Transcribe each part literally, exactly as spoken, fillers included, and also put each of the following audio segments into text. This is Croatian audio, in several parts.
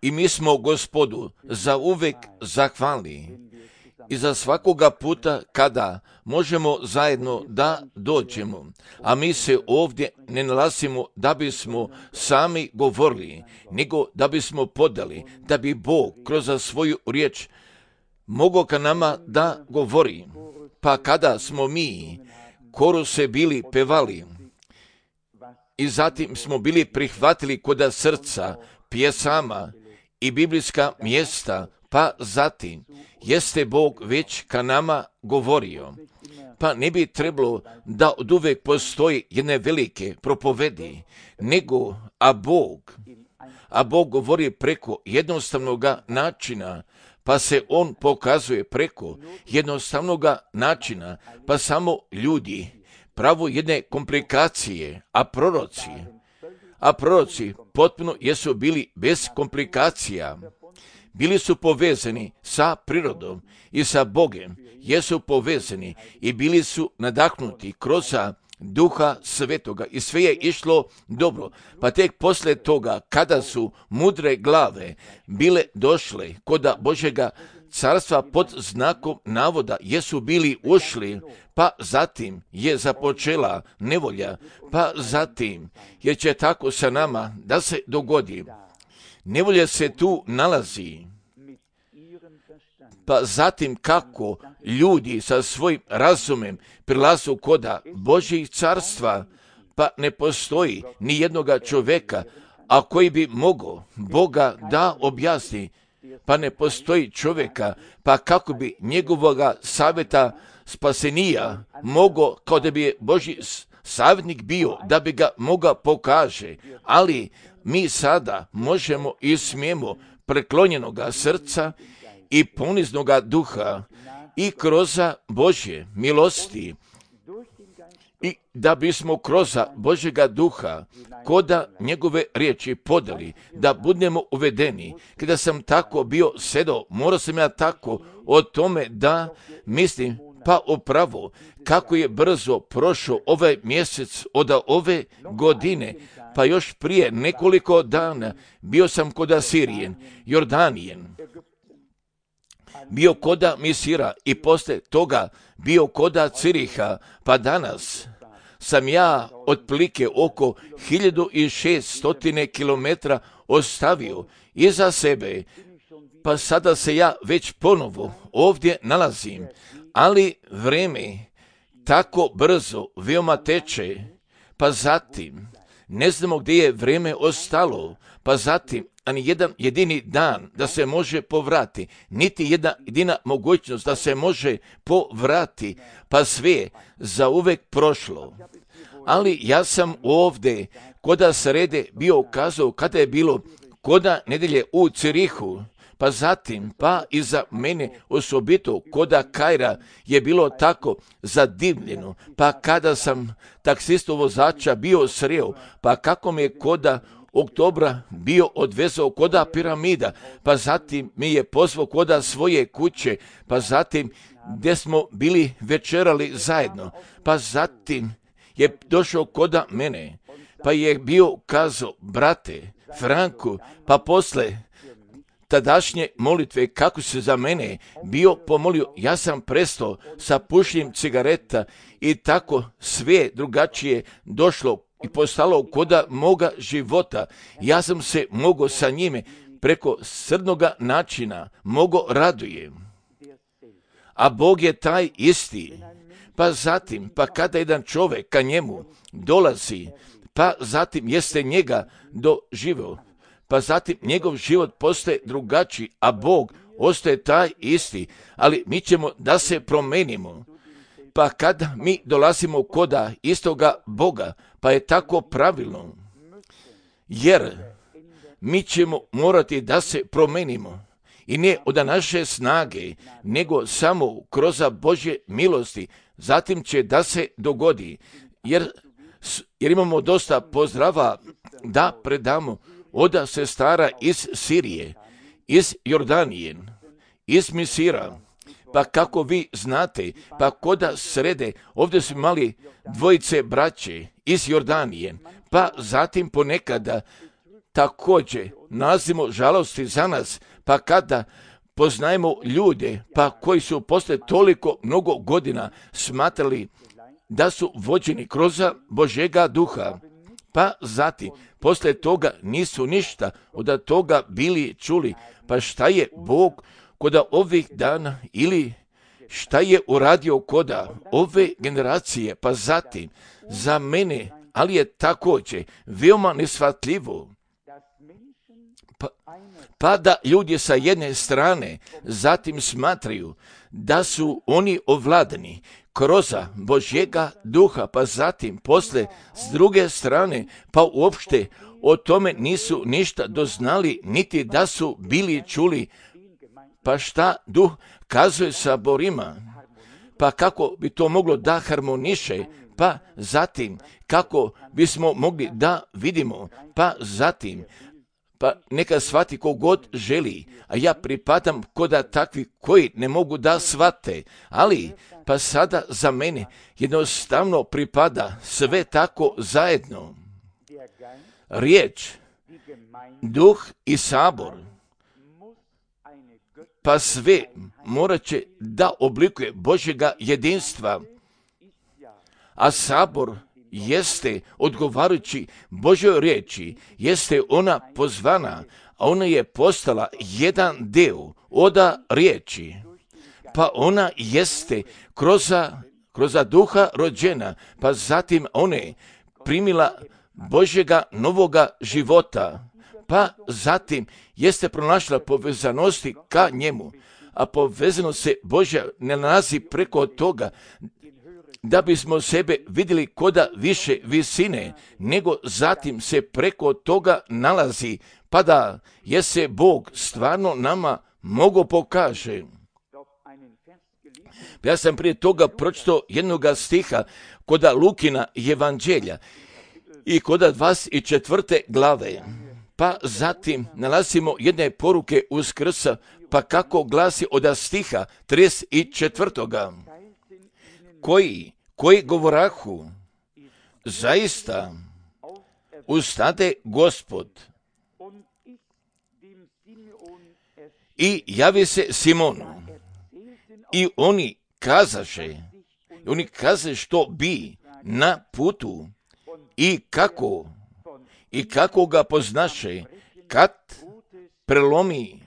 I mi smo Gospodu za uvek zahvalni i za svakoga puta kada možemo zajedno da dođemo, a mi se ovdje ne nalazimo da bismo sami govorili, nego da bismo podali, da bi Bog kroz svoju riječ mogao ka nama da govori. Pa kada smo mi koruse bili pevali i zatim smo bili prihvatili koda srca pjesama i biblijska mjesta, pa zatim jeste Bog već ka nama govorio. Pa ne bi trebalo da od uvek postoji jedne velike propovedi, nego a Bog, a Bog govori preko jednostavnog načina, pa se on pokazuje preko jednostavnog načina, pa samo ljudi pravo jedne komplikacije, a proroci, a proroci potpuno jesu bili bez komplikacija. Bili su povezani sa prirodom i sa Bogem, jesu povezani i bili su nadahnuti kroz Duha Svetoga i sve je išlo dobro. Pa tek posle toga, kada su mudre glave bile došle koda Božjega carstva pod znakom navoda, jesu bili ušli, pa zatim je započela nevolja, pa zatim jer će tako sa nama da se dogodi. Nevolja se tu nalazi, pa zatim kako ljudi sa svojim razumem prilazu koda Božjih carstva, pa ne postoji ni jednoga čovjeka, a koji bi mogao Boga da objasni, pa ne postoji čovjeka, pa kako bi njegovoga savjeta spasenija mogao, kao da bi je Božji savjetnik bio, da bi ga mogao pokaže, ali mi sada možemo i smijemo preklonjenoga srca i poniznoga duha i kroz Božje milosti i da bismo kroz Božjega duha koda njegove riječi podali, da budemo uvedeni. Kada sam tako bio sedao, morao sam ja tako o tome da mislim, pa upravo kako je brzo prošao ovaj mjesec od ove godine, pa još prije nekoliko dana bio sam koda Sirijen, Jordanijen, bio koda Misira i posle toga bio koda Ciriha, pa danas sam ja otprilike oko hiljadu šeststo kilometara ostavio iza sebe, pa sada se ja već ponovo ovdje nalazim, ali vreme tako brzo veoma teče, pa zatim ne znamo gdje je vreme ostalo, pa zatim ani jedan jedini dan da se može povrati, niti jedna jedina mogućnost da se može povrati, pa sve za uvek prošlo. Ali ja sam ovdje koda srede bio ukazao kada je bilo koda nedelje u Cirihu, pa zatim, pa iza mene osobito koda Kaira je bilo tako zadivljeno, pa kada sam taksistu vozača bio sreo, pa kako me koda oktobra bio odvezao koda piramida, pa zatim mi je pozvao koda svoje kuće, pa zatim gdje smo bili večerali zajedno, pa zatim je došao koda mene, pa je bio kazao, brate Franku, pa posle tadašnje molitve kako se za mene bio pomolio, ja sam prestao sa pušenjem cigareta i tako sve drugačije došlo i postalo koda moga života. Ja sam se mogao sa njime preko srdnoga načina mogao radujem. A Bog je taj isti. Pa zatim, pa kada jedan čovjek ka njemu dolazi, pa zatim jeste njega doživio, pa zatim njegov život postaje drugačiji, a Bog ostaje taj isti, ali mi ćemo da se promenimo. Pa kada mi dolazimo koda istoga Boga, pa je tako pravilno, jer mi ćemo morati da se promenimo. I ne od naše snage, nego samo kroz Božje milosti, zatim će da se dogodi, jer, jer imamo dosta pozdrava da predamo od sestara iz Sirije, iz Jordanije, iz Misira. Pa kako vi znate, pa koda srede, ovdje su imali dvojice braće iz Jordanije, pa zatim ponekada također nalazimo žalosti za nas, pa kada poznajemo ljude, pa koji su posle toliko mnogo godina smatrali da su vođeni kroz Božjega duha, pa zatim posle toga nisu ništa od toga bili čuli. Pa šta je Bog kod ovih dana ili šta je uradio kod ove generacije, pa zatim za mene, ali je također veoma neshvatljivo, pa, pa da ljudi sa jedne strane zatim smatraju da su oni ovladani kroz Božjega duha, pa zatim posle s druge strane, pa uopšte o tome nisu ništa doznali, niti da su bili čuli. Pa šta duh kazuje saborima? Pa kako bi to moglo da harmoniše? Pa zatim kako bismo mogli da vidimo? Pa zatim pa neka shvati kogod želi, a ja pripadam kod takvi koji ne mogu da shvate, ali pa sada za mene jednostavno pripada sve tako zajedno. Riječ, duh i sabor, pa sve morat će da oblikuje Božjega jedinstva, a sabor jeste odgovarajući Božjoj riječi, jeste ona pozvana, a ona je postala jedan deo od riječi, pa ona jeste kroz, kroz duha rođena, pa zatim ona je primila Božjega novoga života, pa zatim jeste pronašla povezanosti ka njemu, a povezanost se Božja ne nalazi preko toga da bismo sebe vidjeli koda više visine, nego zatim se preko toga nalazi, pa da je se Bog stvarno nama mogo pokaže. Ja sam prije toga pročitao jednoga stiha koda Lukina evanđelja i koda dvadeset četvrte glave. Pa zatim nalazimo jedne poruke Uskrsa, pa kako glasi od stiha trideset četvrtoga koji, koji govorahu, zaista ustade Gospod i javi se Simonu. I oni kazaše, oni kazaše što bi na putu i kako, i kako ga poznaše kad prelomi,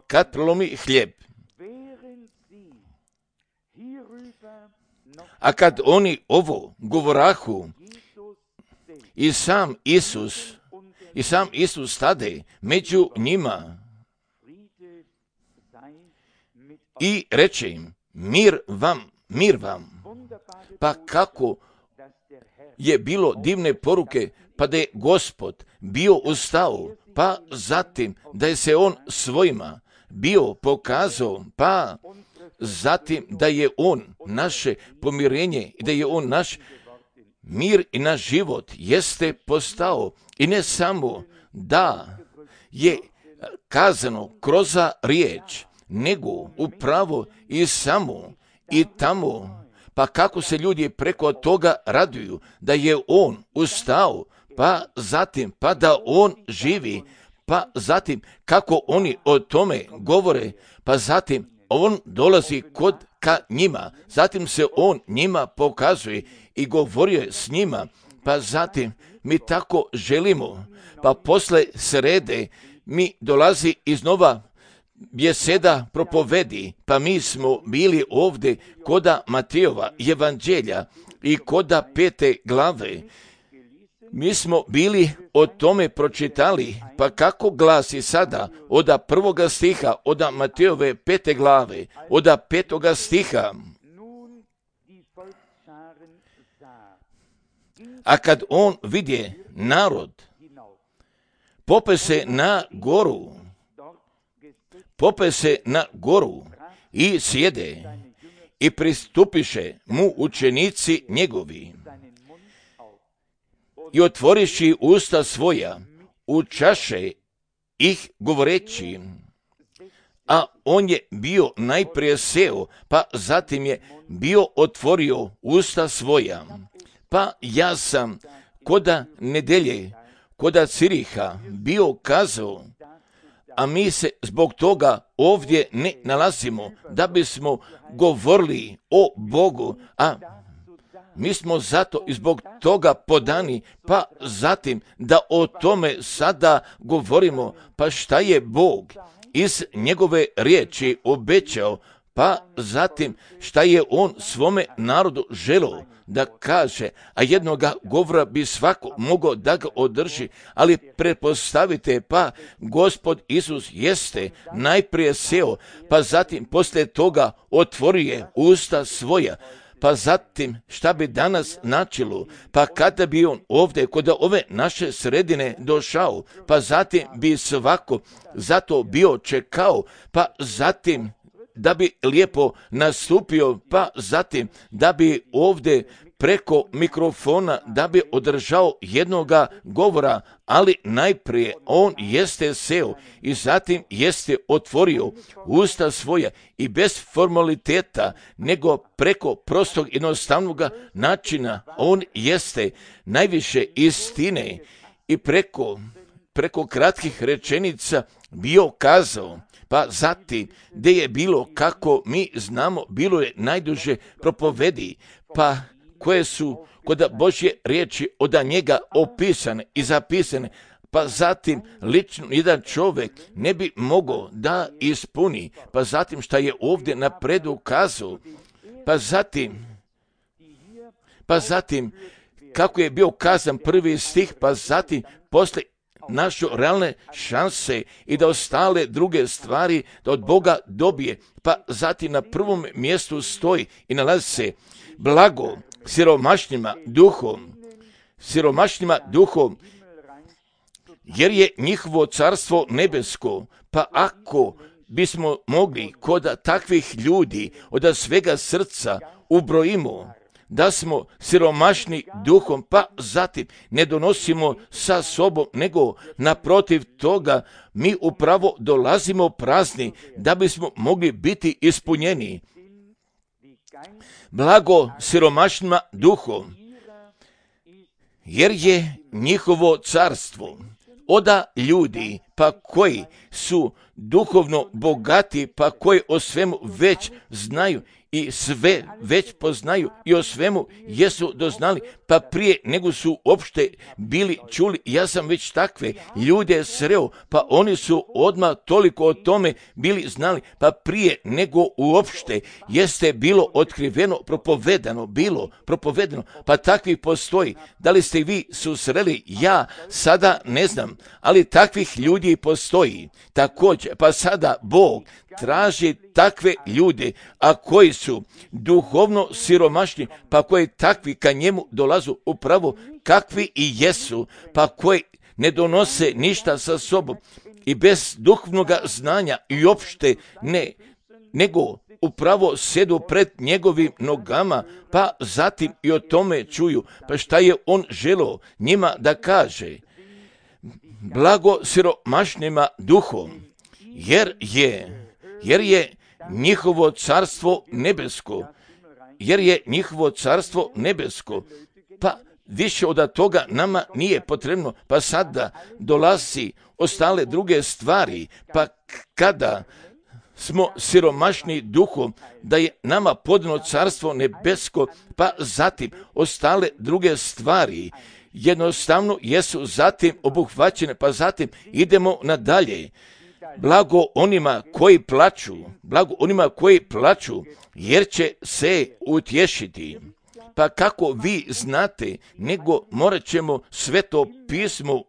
kad prelomi hljeb. A kad oni ovo govorahu, i sam Isus, i sam Isus stade među njima i reče im, mir vam, mir vam. Pa kako je bilo divne poruke, pa da je Gospod bio ustao, pa zatim da je se on svojima bio pokazao, pa zatim da je on naše pomirenje i da je on naš mir i naš život jeste postao. I ne samo da je kazano kroz riječ, nego upravo i samo i tamo, pa kako se ljudi preko toga raduju da je on ustao, pa zatim pa da on živi, pa zatim kako oni o tome govore, pa zatim on dolazi kod ka njima, zatim se on njima pokazuje i govorio je s njima, pa zatim mi tako želimo, pa posle srede mi dolazi iznova bjeseda propovedi, pa mi smo bili ovdje koda Matejova evanđelja i koda pete glave. Mi smo bili o tome pročitali, pa kako glasi sada od prvoga stiha, od Matejove pete glave, od petoga stiha. A kad on vidje narod, pope se na goru, pope se na goru i sjede i pristupiše mu učenici njegovi i otvoriši usta svoja, učaše ih govoreći, a on je bio najprije seo, pa zatim je bio otvorio usta svoja. Pa ja sam koda nedelje, kod Ciriha bio kazao, a mi se zbog toga ovdje ne nalazimo da bismo govorili o Bogu, a mi smo zato i zbog toga podani, pa zatim da o tome sada govorimo, pa šta je Bog iz njegove riječi obećao, pa zatim šta je on svome narodu želio da kaže, a jednoga govora bi svako mogao da ga održi, ali pretpostavite, pa Gospod Isus jeste najprije seo, pa zatim poslije toga otvorio usta svoja, pa zatim šta bi danas načelo, pa kada bi on ovdje kod ove naše sredine došao, pa zatim bi svako zato bio čekao, pa zatim da bi lijepo nastupio, pa zatim da bi ovdje preko mikrofona da bi održao jednoga govora, ali najprije on jeste seo i zatim jeste otvorio usta svoja i bez formaliteta, nego preko prostog jednostavnog načina on jeste najviše istine i preko, preko kratkih rečenica bio kazao. Pa zatim, gdje je bilo, kako mi znamo, bilo je najduže propovedi, pa koje su kod Božje riječi od njega opisane i zapisane, pa zatim lično jedan čovjek ne bi mogao da ispuni, pa zatim šta je ovdje napredu kazao, pa zatim, pa zatim kako je bio kazan prvi stih, pa zatim posle naše realne šanse i da ostale druge stvari da od Boga dobije, pa zatim na prvom mjestu stoji i nalazi se blago siromašnima duhom, siromašnima duhom, jer je njihovo carstvo nebesko. Pa ako bismo mogli kod takvih ljudi od svega srca ubrojimo da smo siromašni duhom, pa zatim ne donosimo sa sobom, nego naprotiv toga mi upravo dolazimo prazni da bismo mogli biti ispunjeni. Blago siromašnima duhom, jer je njihovo carstvo. Oda ljudi, pa koji su duhovno bogati, pa koji o svemu već znaju i sve već poznaju i o svemu jesu doznali, pa prije nego su uopšte bili čuli. Ja sam već takve ljude sreo, pa oni su odmah toliko o tome bili znali, pa prije nego uopšte jeste bilo otkriveno, propovedano, bilo propovedano, pa takvi postoji. Da li ste vi susreli? Ja sada ne znam, ali takvih ljudi postoji. Također, pa sada Bog traži takve ljude, a koji su duhovno siromašni, pa koji takvi ka njemu dolazu upravo kakvi i jesu, pa koji ne donose ništa sa sobom i bez duhovnog znanja i opšte ne, nego upravo sjedu pred njegovim nogama, pa zatim i o tome čuju. Pa šta je on želio njima da kaže? Blago siromašnima duhom, jer je jer je njihovo carstvo nebesko, jer je njihovo carstvo nebesko, pa više od toga nama nije potrebno, pa sada dolazi ostale druge stvari, pa kada smo siromašni duhom, da je nama podano carstvo nebesko, pa zatim ostale druge stvari jednostavno jesu zatim obuhvaćene, pa zatim idemo nadalje. Blago onima koji plaču, blago onima koji plaču, jer će se utješiti. Pa kako vi znate, nego morat ćemo Sveto pismo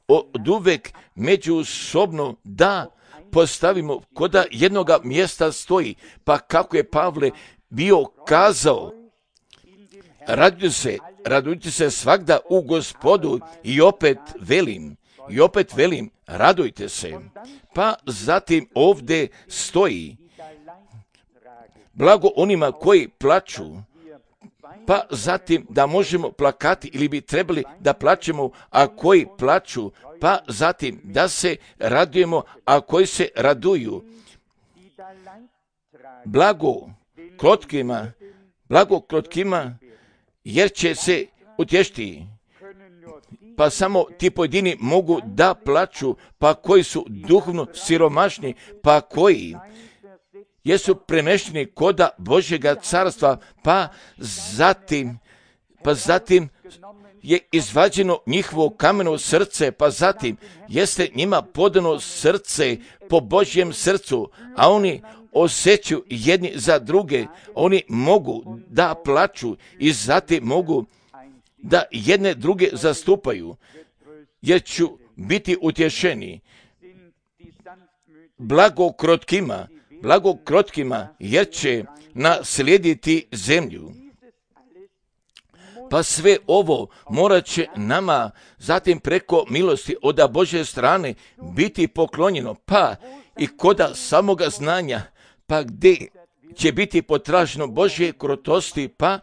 od uvek međusobno da postavimo koda jednoga mjesta stoji. Pa kako je Pavle bio kazao, radujte se, radujte se svagda u Gospodu i opet velim, i opet velim, radujte se. Pa zatim ovdje stoji, blago onima koji plaču, pa zatim da možemo plakati ili bi trebali da plačemo, a koji plaču, pa zatim da se radujemo, a koji se raduju. Blago krotkima, blago krotkima, jer će se utješiti. pa samo ti pojedini mogu da plaću, pa koji su duhovno siromašni, pa koji jesu premešteni koda Božjega carstva, pa zatim, pa zatim je izvađeno njihovo kameno srce, pa zatim jeste njima podano srce po Božjem srcu, a oni osjećaju jedni za druge, oni mogu da plaću i zatim mogu da jedne druge zastupaju, jer ću biti utješeni. Blago krotkima, blago krotkima, jer će naslijediti zemlju. Pa sve ovo morat će nama zatim preko milosti od Božje strane biti poklonjeno, pa i koda samoga znanja, pa gdje će biti potraženo Božje krotosti, pa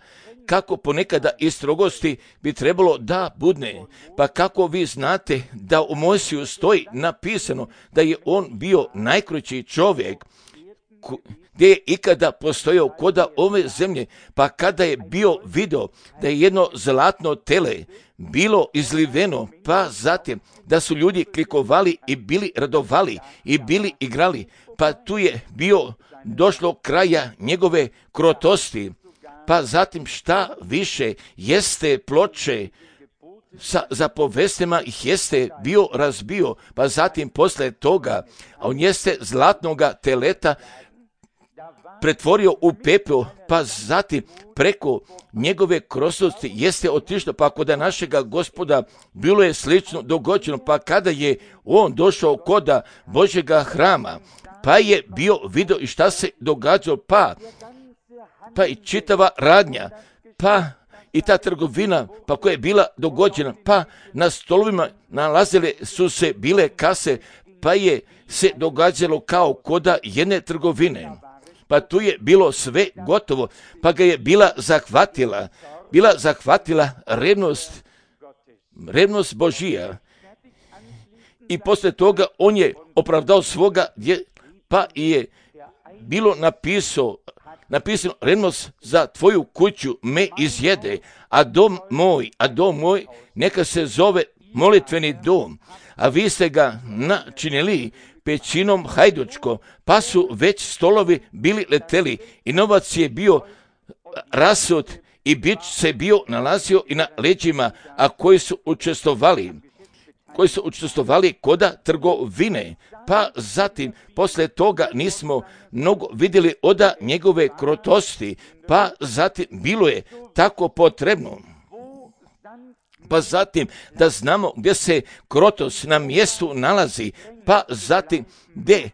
kako ponekada i strogosti bi trebalo da budne. Pa kako vi znate da u Mojsiju stoji napisano da je on bio najkrući čovjek gdje je ikada postojao koda ove zemlje, pa kada je bio video da je jedno zlatno tele bilo izliveno, pa zatim da su ljudi klikovali i bili radovali i bili igrali, pa tu je bio došlo kraja njegove krotosti. Pa zatim šta više jeste ploče sa zapovestima ih jeste bio razbio, pa zatim posle toga on jeste zlatnoga teleta pretvorio u pepeo, pa zatim preko njegove krotosti jeste otišlo, pa kod našega Gospoda bilo je slično dogođeno, pa kada je on došao koda Božjega hrama, pa je bio video i šta se događalo, pa pa i čitava radnja, pa i ta trgovina, pa koja je bila dogođena, pa na stolovima nalazile su se bile kase, pa je se događalo kao koda jedne trgovine. Pa tu je bilo sve gotovo, pa ga je bila zahvatila, bila zahvatila revnost, revnost Božija. I posle toga on je opravdao svoga, pa je bilo napisao, napisano, revnost za tvoju kuću me izjede, a dom moj, a dom moj neka se zove molitveni dom, a vi ste ga načinili pećinom hajdučko, pa su već stolovi bili leteli i novac je bio rasut i bič se bio nalazio i na leđima, a koji su učestvovali, koji su učestvovali koda trgovine. Pa zatim, posle toga nismo mnogo vidjeli oda njegove krotosti, pa zatim bilo je tako potrebno. Pa zatim da znamo gdje se krotost na mjestu nalazi, pa zatim gdje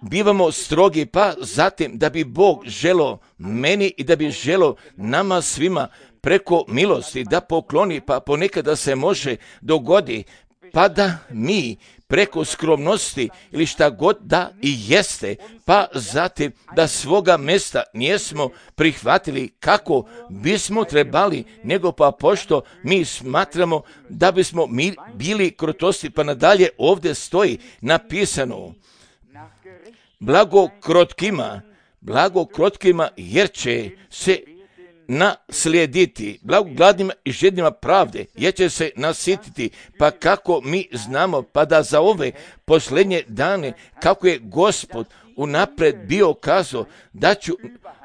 bivamo strogi, pa zatim da bi Bog želo meni i da bi želo nama svima preko milosti da pokloni, pa ponekada se može dogodi, pa da mi preko skromnosti ili šta god da i jeste, pa zatim da svoga mjesta nijesmo prihvatili kako bismo trebali, nego pa pošto mi smatramo da bismo mi bili krotosti, pa nadalje ovdje stoji napisano blago krotkima, blago krotkima jer će se naslijediti, blago gladnima i žednima pravde, jer će se nasititi, pa kako mi znamo, pa da za ove posljednje dane, kako je Gospod unapred bio kazao, da ću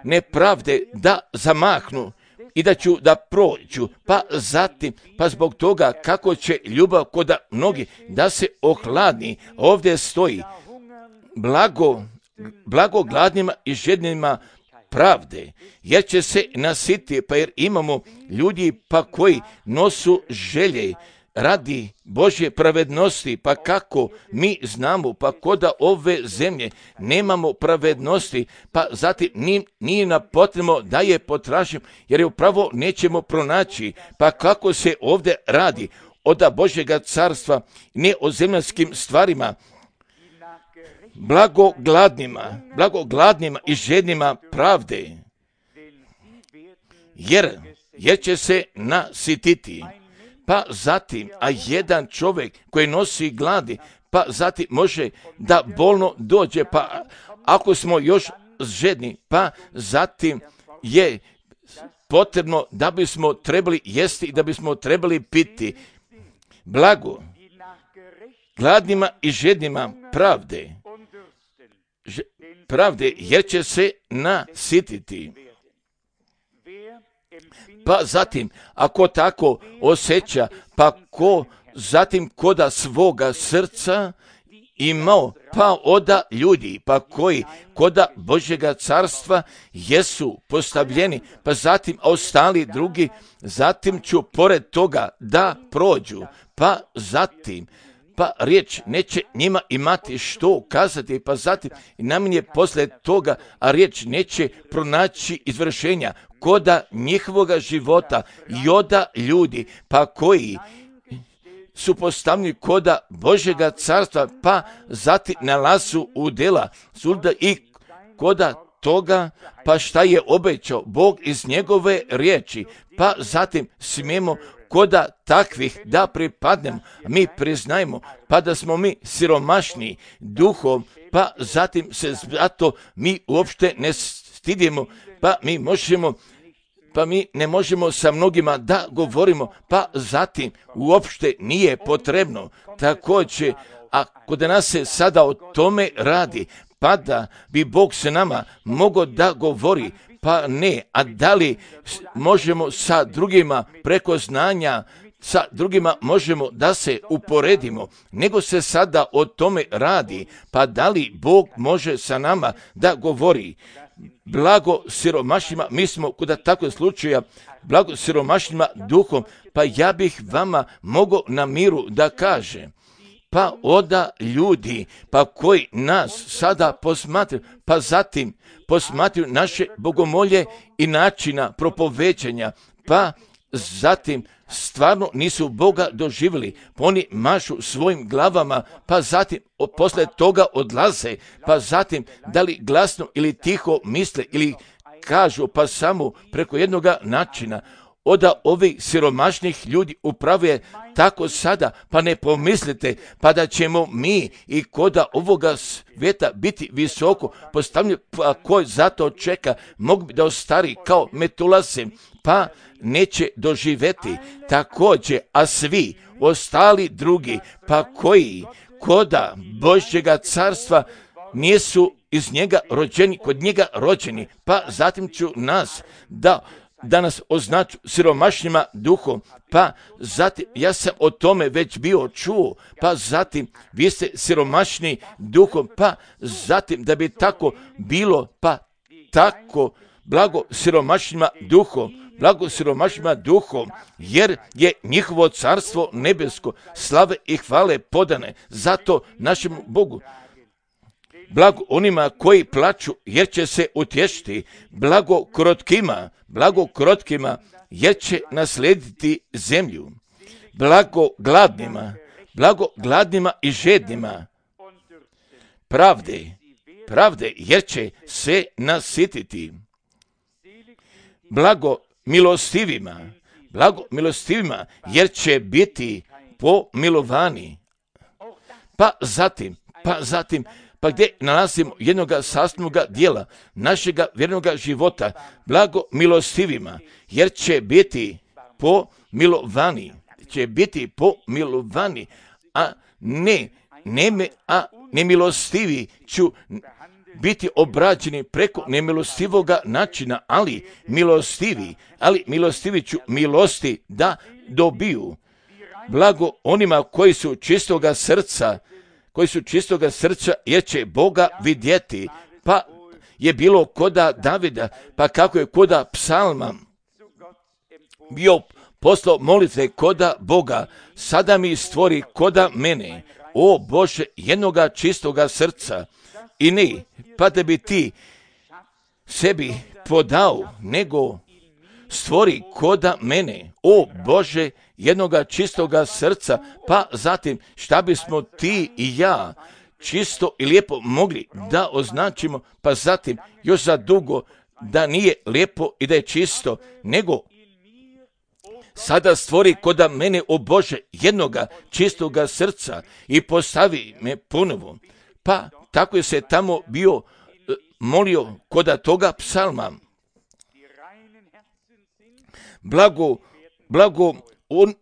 nepravde da zamahnu i da ću da prođu, pa zatim, pa zbog toga kako će ljubav kod mnogi da se ohladni, ovdje stoji, blago, blago gladnima i žednima pravde, jer će se nasiti, pa jer imamo ljudi pa koji nosu želje radi Božje pravednosti, pa kako mi znamo, pa koda ove zemlje nemamo pravednosti, pa zatim nije nam potrebno da je potražimo, jer je upravo nećemo pronaći, pa kako se ovdje radi od Božjega carstva, ne o zemaljskim stvarima, blago gladnima, blago gladnima i žednima pravde, jer, jer će se nasititi. Pa zatim, a jedan čovjek koji nosi gladi, pa zatim može da bolno dođe, pa ako smo još žedni, pa zatim je potrebno da bismo trebali jesti i da bismo trebali piti. Blago gladnima i žednima pravde, Ž- pravde, jer će se nasititi. Pa zatim, ako tako osjeća, pa ko zatim koda svoga srca imao, pa oda ljudi, pa koji koda Božjega carstva jesu postavljeni, pa zatim ostali drugi, zatim ću pored toga da prođu, pa zatim, pa riječ neće njima imati što kazati, pa zatim naminje posle toga, a riječ neće pronaći izvršenja koda njihovoga života i oda ljudi, pa koji su postavljeni koda Božjega carstva, pa zatim nalazu u dela suda i koda toga, pa šta je obećao Bog iz njegove riječi, pa zatim smijemo koda takvih da pripadnemo, mi priznajemo, pa da smo mi siromašni duhom, pa zatim se zato mi uopšte ne stidimo, pa mi možemo pa mi ne možemo sa mnogima da govorimo, pa zatim uopšte nije potrebno. Također, ako da nas se sada o tome radi, pa da bi Bog se nama mogao da govori, pa ne, a da li možemo sa drugima preko znanja, sa drugima možemo da se uporedimo, nego se sada o tome radi, pa da li Bog može sa nama da govori. Blago siromašnima, mi smo kod takvog slučaja, blago siromašnima duhom, pa ja bih vama mogao na miru da kažem, pa oda ljudi, pa koji nas sada posmatraju, pa zatim posmatraju naše bogomolje i načina propovećanja, pa zatim stvarno nisu Boga doživjeli, pa oni mašu svojim glavama, pa zatim posle toga odlaze, pa zatim da li glasno ili tiho misle ili kažu, pa samo preko jednoga načina. Oda ovih siromašnih ljudi upravo je tako sada, pa ne pomislite, pa da ćemo mi i koda ovoga svijeta biti visoko postavljeni, pa koji zato čeka, mogu bi da ostari kao Metulase, pa neće doživeti također, a svi ostali drugi, pa koji koda Božjega carstva nisu iz njega rođeni, kod njega rođeni, pa zatim ću nas da danas označu siromašnjima duhom, pa zatim, ja sam o tome već bio čuo, pa zatim, vi ste siromašni duhom, pa zatim, da bi tako bilo, pa tako, blago siromašnjima duhom, blago siromašnjima duhom, jer je njihovo carstvo nebesko, slave i hvale podane, zato našemu Bogu. Blago onima koji plaču, jer će se utješiti, blago krotkima, blago krotkima, jer će naslediti zemlju, blago gladnima, blago gladnima i žednima, pravde, pravde, jer će se nasititi, blago milostivima, blago milostivima, jer će biti pomilovani, pa zatim, pa zatim, pa gdje nalazimo jednog sastavnog dijela našega vjernoga života, blago milostivima, jer će biti pomilovani, će biti pomilovani, a ne, ne, a nemilostivi ću biti obrađeni preko nemilostivoga načina, ali milostivi, ali milostivi ću milosti da dobiju. Blago onima koji su čistoga srca, koji su čistoga srca, jer će Boga vidjeti, pa je bilo koda Davida, pa kako je koda psalma bio poslao molitve koda Boga, sada mi stvori koda mene, o Bože, jednoga čistoga srca, i ne, pa da bi ti sebi podao, nego stvori koda mene, o Bože, jednoga čistoga srca, pa zatim šta bismo ti i ja čisto i lijepo mogli da označimo, pa zatim još za dugo da nije lijepo i da je čisto, nego sada stvori koda mene, o Bože, jednoga čistoga srca i postavi me ponovo. Pa tako je se tamo bio molio koda toga psalma. Blago, blago on,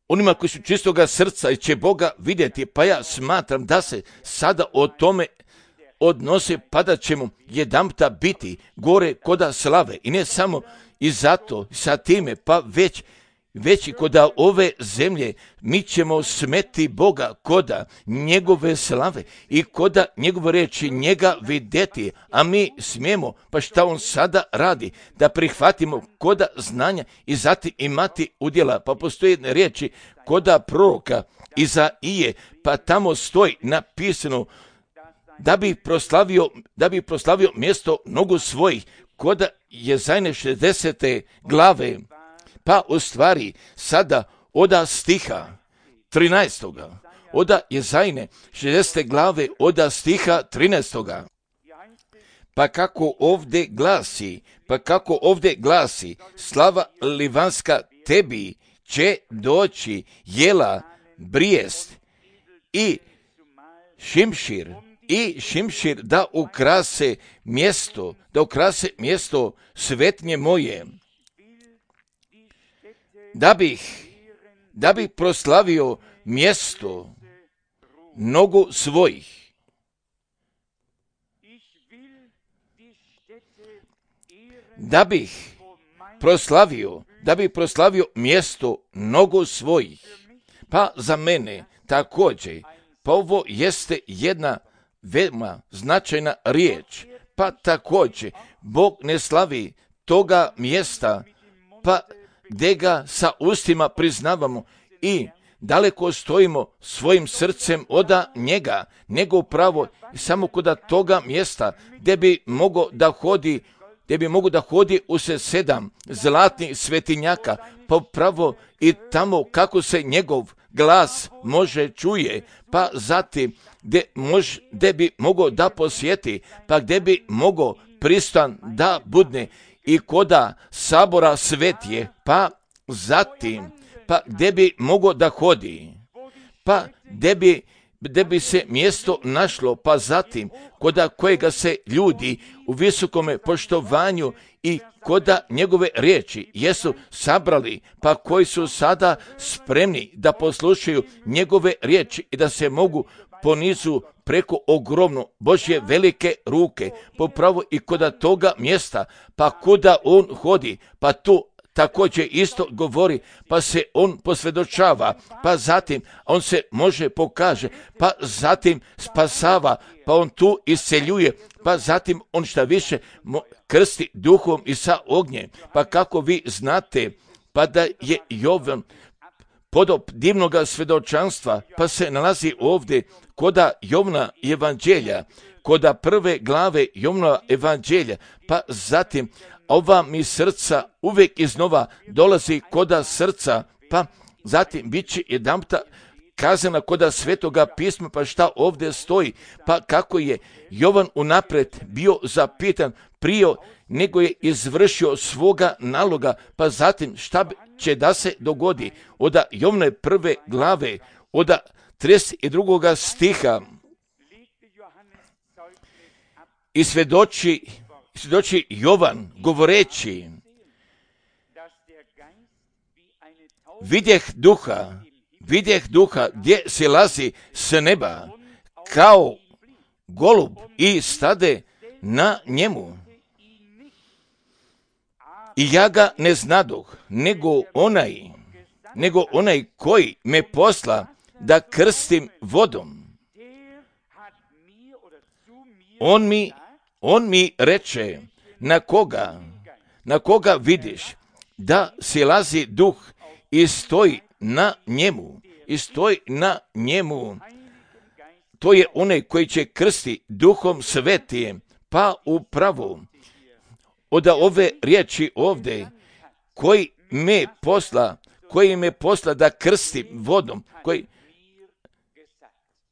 onima koji su čistoga srca i će Boga vidjeti, pa ja smatram da se sada o tome odnose, pa da ćemo jedanputa biti gore koda slave i ne samo i zato sa time, pa već već i koda ove zemlje mi ćemo smeti Boga koda njegove slave i koda njegove riječi njega vidjeti, a mi smijemo, pa šta on sada radi, da prihvatimo koda znanja i zatim imati udjela. Pa postoje jedne riječi koda proroka Izaije, pa tamo stoji napisano da bi proslavio, da bi proslavio mjesto nogu svojih, koda Jezajne šezdesete glave. Pa u stvari sada oda stiha trinaestoga, oda Jezajne šezdesete glave, oda stiha trinaestoga. Pa kako ovdje glasi, pa kako ovdje glasi, slava livanska tebi će doći jela, brijest i šimšir, i šimšir da ukrase mjesto, da ukrase mjesto svetnje moje. Da bih, da bih proslavio mjesto nogu svojih. Da bih proslavio, da bih proslavio mjesto nogu svojih. Pa za mene također, pa ovo jeste jedna veoma značajna riječ. Pa također, Bog ne slavi toga mjesta, pa gdje ga sa ustima priznavamo i daleko stojimo svojim srcem oda njega, nego upravo samo koda toga mjesta gdje bi mogo da hodi, gdje bi mogo da hodi u se sedam zlatnih svetinjaka, pa upravo i tamo kako se njegov glas može čuje, pa zatim gdje, mož, gdje bi mogo da posjeti, pa gdje bi mogo pristan da budne i koda sabora svetije, pa zatim, pa gdje bi mogo da hodi, pa gdje bi, gdje bi se mjesto našlo, pa zatim koda kojega se ljudi u visokome poštovanju i koda njegove riječi jesu sabrali, pa koji su sada spremni da poslušaju njegove riječi i da se mogu ponizu preko ogromno Božje velike ruke, popravo i koda toga mjesta, pa kuda on hodi, pa tu također isto govori, pa se on posvjedočava, pa zatim on se može pokaže, pa zatim spasava, pa on tu isceljuje, pa zatim on šta više krsti duhom i sa ognjem. Pa kako vi znate, pa da je Jovan podob divnoga svjedočanstva, pa se nalazi ovdje koda Jovna evanđelja, koda prve glave Jovna evanđelja, pa zatim ova mi srca uvijek iznova dolazi koda srca, pa zatim bit će jedanputa kazana koda svetoga pisma, pa šta ovdje stoji, pa kako je Jovan unaprijed bio zapitan prije nego je izvršio svoga naloga, pa zatim šta će da se dogodi, oda Jovne prve glave, oda trideset drugoga stiha, i svjedoči, svjedoči Jovan govoreći, vidjeh duha, vidjeh duha gdje se lazi s neba, kao golub i stade na njemu. I ja ga ne znadoh, nego onaj, nego onaj koji me posla da krstim vodom. On mi, on mi reče, na koga, na koga vidiš da silazi duh i stoji na njemu, i stoji na njemu. To je onaj koji će krsti duhom svetijem, pa upravo od ove riječi ovdje, koji me posla, koji me posla da krstim vodom, koji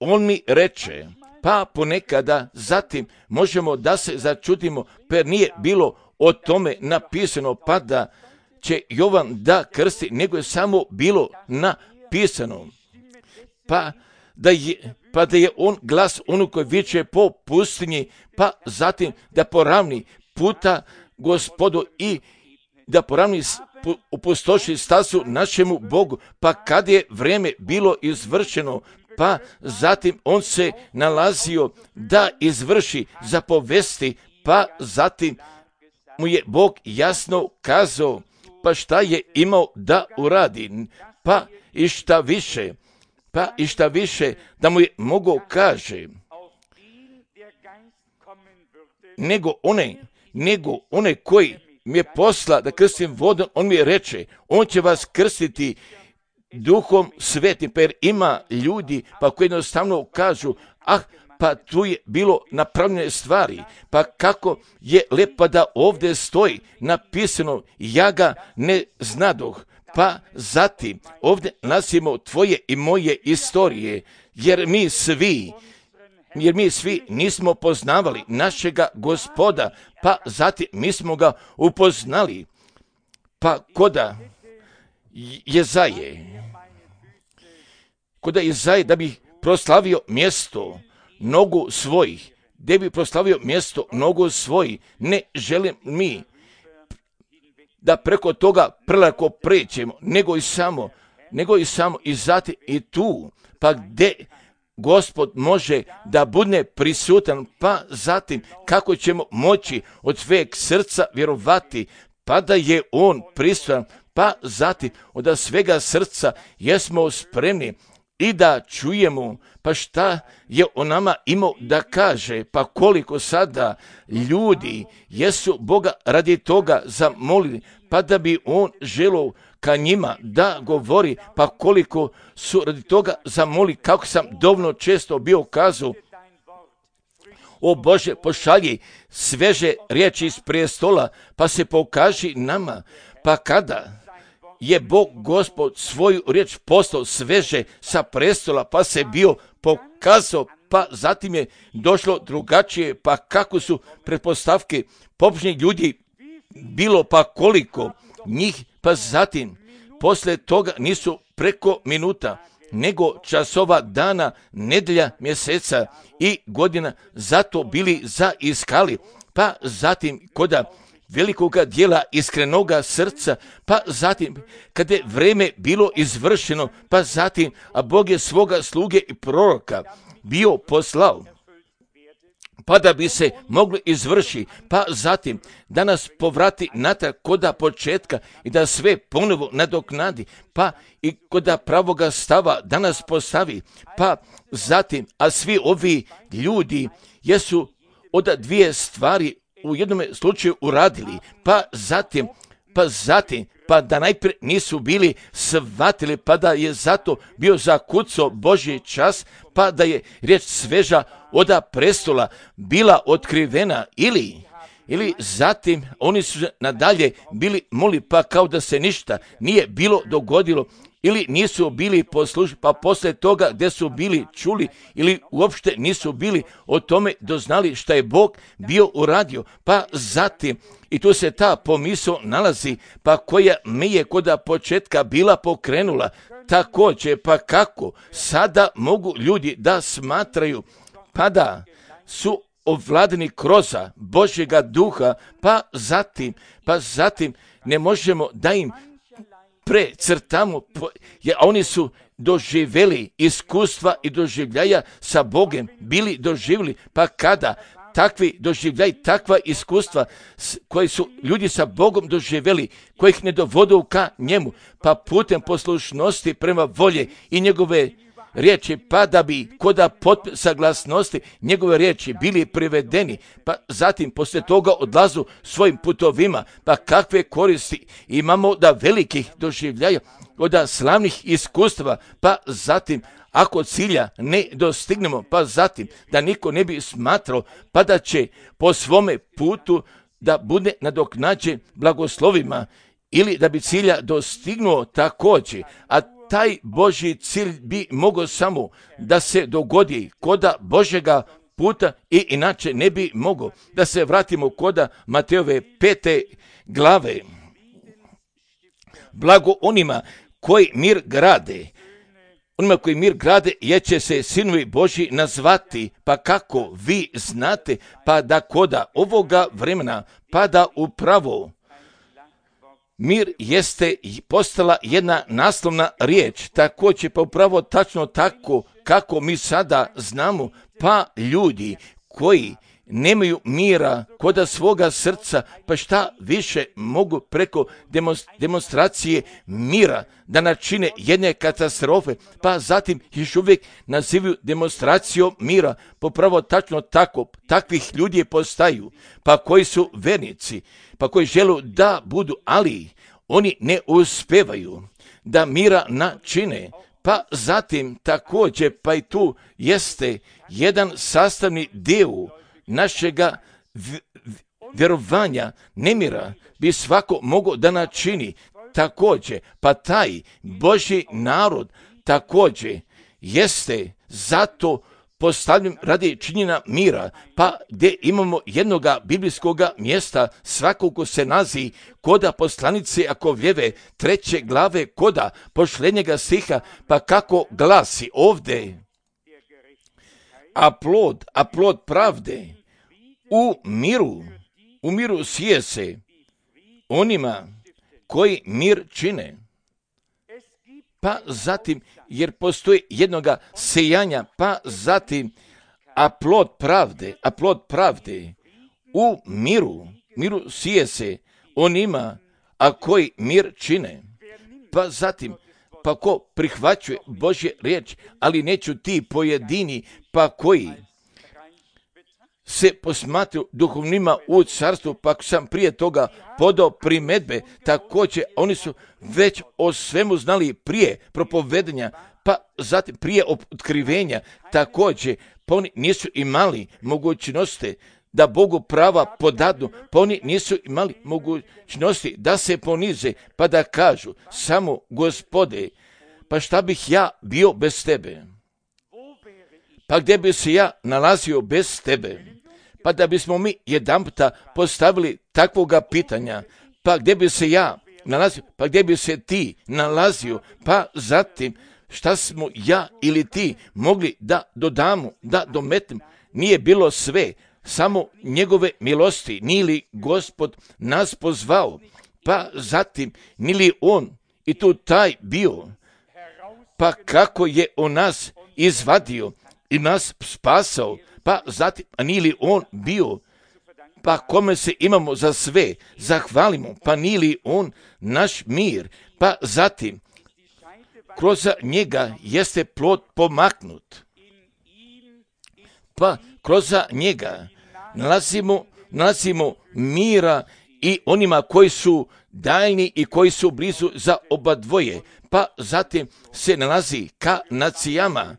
on mi reče, pa ponekada zatim možemo da se začudimo, per nije bilo o tome napisano, pa da će Jovan da krsti, nego je samo bilo napisano. Pa da je, pa da je on glas ono koji viče po pustinji, pa zatim da poravni puta Gospodu i da poravni upustoši stazu našemu Bogu, pa kad je vrijeme bilo izvršeno, pa zatim on se nalazio da izvrši zapovesti, pa zatim mu je Bog jasno kazao, pa šta je imao da uradi, pa i šta više, pa i šta više da mu je mogao kaže, nego one, nego one koji mi je posla da krstim vodom, on mi je reče, on će vas krstiti Duhom Svetim, pa jer ima ljudi pa koji jednostavno kažu, ah, pa tu je bilo napravljene stvari, pa kako je lepo da ovdje stoji napisano, ja ga ne znadoh, pa zatim ovdje nasimo tvoje i moje istorije, jer mi svi, jer mi svi nismo poznavali našega Gospoda, pa zatim mi smo ga upoznali, pa koda Jezaje, koda Jezaje da bi proslavio mjesto nogu svojih, gdje bi proslavio mjesto nogu svojih, ne želim mi da preko toga prelako prećemo, nego i samo, nego i samo i zatim i tu, pa gdje Gospod može da bude prisutan, pa zatim kako ćemo moći od sveg srca vjerovati, pa da je on prisutan, pa zatim od svega srca jesmo spremni i da čujemo, pa šta je o nama imao da kaže, pa koliko sada ljudi jesu Boga radi toga zamolili, pa da bi on želio ka njima da govori, pa koliko su radi toga zamoli, kako sam dovoljno često bio kazao, o Bože, pošalji sveže riječi iz prestola, pa se pokaži nama, pa kada je Bog Gospod svoju riječ poslao sveže sa prestola, pa se bio pokazao, pa zatim je došlo drugačije, pa kako su pretpostavke pobožnih ljudi bilo, pa koliko njih, pa zatim posle toga nisu preko minuta, nego časova, dana, nedelja, mjeseca i godina zato bili zaiskali, pa zatim koda velikoga dijela iskrenoga srca, pa zatim kada je vreme bilo izvršeno, pa zatim, a Bog je svoga sluge i proroka bio poslao, pa da bi se moglo izvrši, pa zatim da nas povrati natrag koda početka i da sve ponovo nadoknadi, pa i koda pravoga stava da nas postavi, pa zatim, a svi ovi ljudi jesu od dvije stvari u jednom slučaju uradili, pa zatim, pa zatim, pa da najprije nisu bili shvatili, pa da je zato bio zakucao Božji čas, pa da je riječ sveža oda prestola bila otkrivena, ili ili zatim oni su nadalje bili moli, pa kao da se ništa nije bilo dogodilo, ili nisu bili poslušni, pa poslije toga gdje su bili čuli, ili uopšte nisu bili o tome doznali šta je Bog bio uradio, pa zatim, i tu se ta pomisao nalazi, pa koja me je koda početka bila pokrenula, također, pa kako sada mogu ljudi da smatraju, pa da su ovladani kroza Božjega duha, pa zatim, pa zatim ne možemo da im precrtamo, jer oni su doživjeli iskustva i doživljaja sa Bogom, bili doživjeli, pa kada takvi doživljaj, takva iskustva koji su ljudi sa Bogom doživjeli, kojih ne dovodu ka njemu, pa putem poslušnosti prema volje i njegove riječi, pa da bi koda potpisa saglasnosti njegove riječi bili privedeni, pa zatim poslije toga odlazu svojim putovima, pa kakve koristi imamo da velikih doživljaja, od slavnih iskustava, pa zatim ako cilja ne dostignemo, pa zatim da niko ne bi smatrao, pa da će po svome putu da bude nadoknađen blagoslovima, ili da bi cilja dostignuo također, a taj Božji cilj bi mogao samo da se dogodi koda Božjega puta i inače ne bi mogao. Da se vratimo koda Matejove pete glave. Blago onima koji mir grade, onima koji mir grade, jer će se sinovi Božji nazvati, pa kako vi znate, pa da koda ovoga vremena, pa da upravo Mir jeste postala jedna naslovna riječ, također pa upravo tačno tako kako mi sada znamo, pa ljudi koji nemaju mira koda svoga srca, pa šta više mogu preko demonstracije mira da načine jedne katastrofe, pa zatim još uvijek nazivaju demonstracijom mira, popravo tačno tako, takvih ljudi postaju, pa koji su vernici, pa koji žele da budu, ali oni ne uspevaju da mira načine, pa zatim također, pa i tu jeste jedan sastavni dio našega vjerovanja nemira bi svako mogao da načini također, pa taj Božji narod također jeste zato postavljen radi činjenja mira, pa gdje imamo jednoga biblijskoga mjesta svakako se nazi koda poslanice Jakovljeve treće glave koda pošljenjega stiha, pa kako glasi ovdje, a plod, a plod pravde u miru, u miru sije se onima koji mir čine. Pa zatim, jer postoji jednoga sejanja, pa zatim, a plod pravde, a plod pravde u miru, miru sije se onima, a koji mir čine. Pa zatim, pa ko prihvaćuje Božje riječ, ali neću ti pojedini, pa koji se posmatruju duhovnima u carstvu, pa sam prije toga podao primedbe, također oni su već o svemu znali prije propovedanja, pa zatim prije otkrivenja, također, pa oni nisu imali mogućnosti da Bogu prava podadnu, pa oni nisu imali mogućnosti da se ponize, pa da kažu, samo Gospode, pa šta bih ja bio bez tebe? Pa gdje bi se ja nalazio bez tebe? Pa da bismo mi jedanputa postavili takvoga pitanja, pa gdje bi se ja nalazio, pa gdje bi se ti nalazio, pa zatim šta smo ja ili ti mogli da dodamo, da dometnemo, nije bilo sve, samo njegove milosti, nije li Gospod nas pozvao, pa zatim nije li on i tu taj bio, pa kako je on nas izvadio i nas spasao, pa zatim, a nije li on bio, pa kome se imamo za sve, zahvalimo, pa nije li on naš mir, pa zatim, kroz njega jeste plod pomaknut, pa kroz njega nalazimo, nalazimo mira i onima koji su daljni i koji su blizu za oba dvoje, pa zatim se nalazi ka nacijama,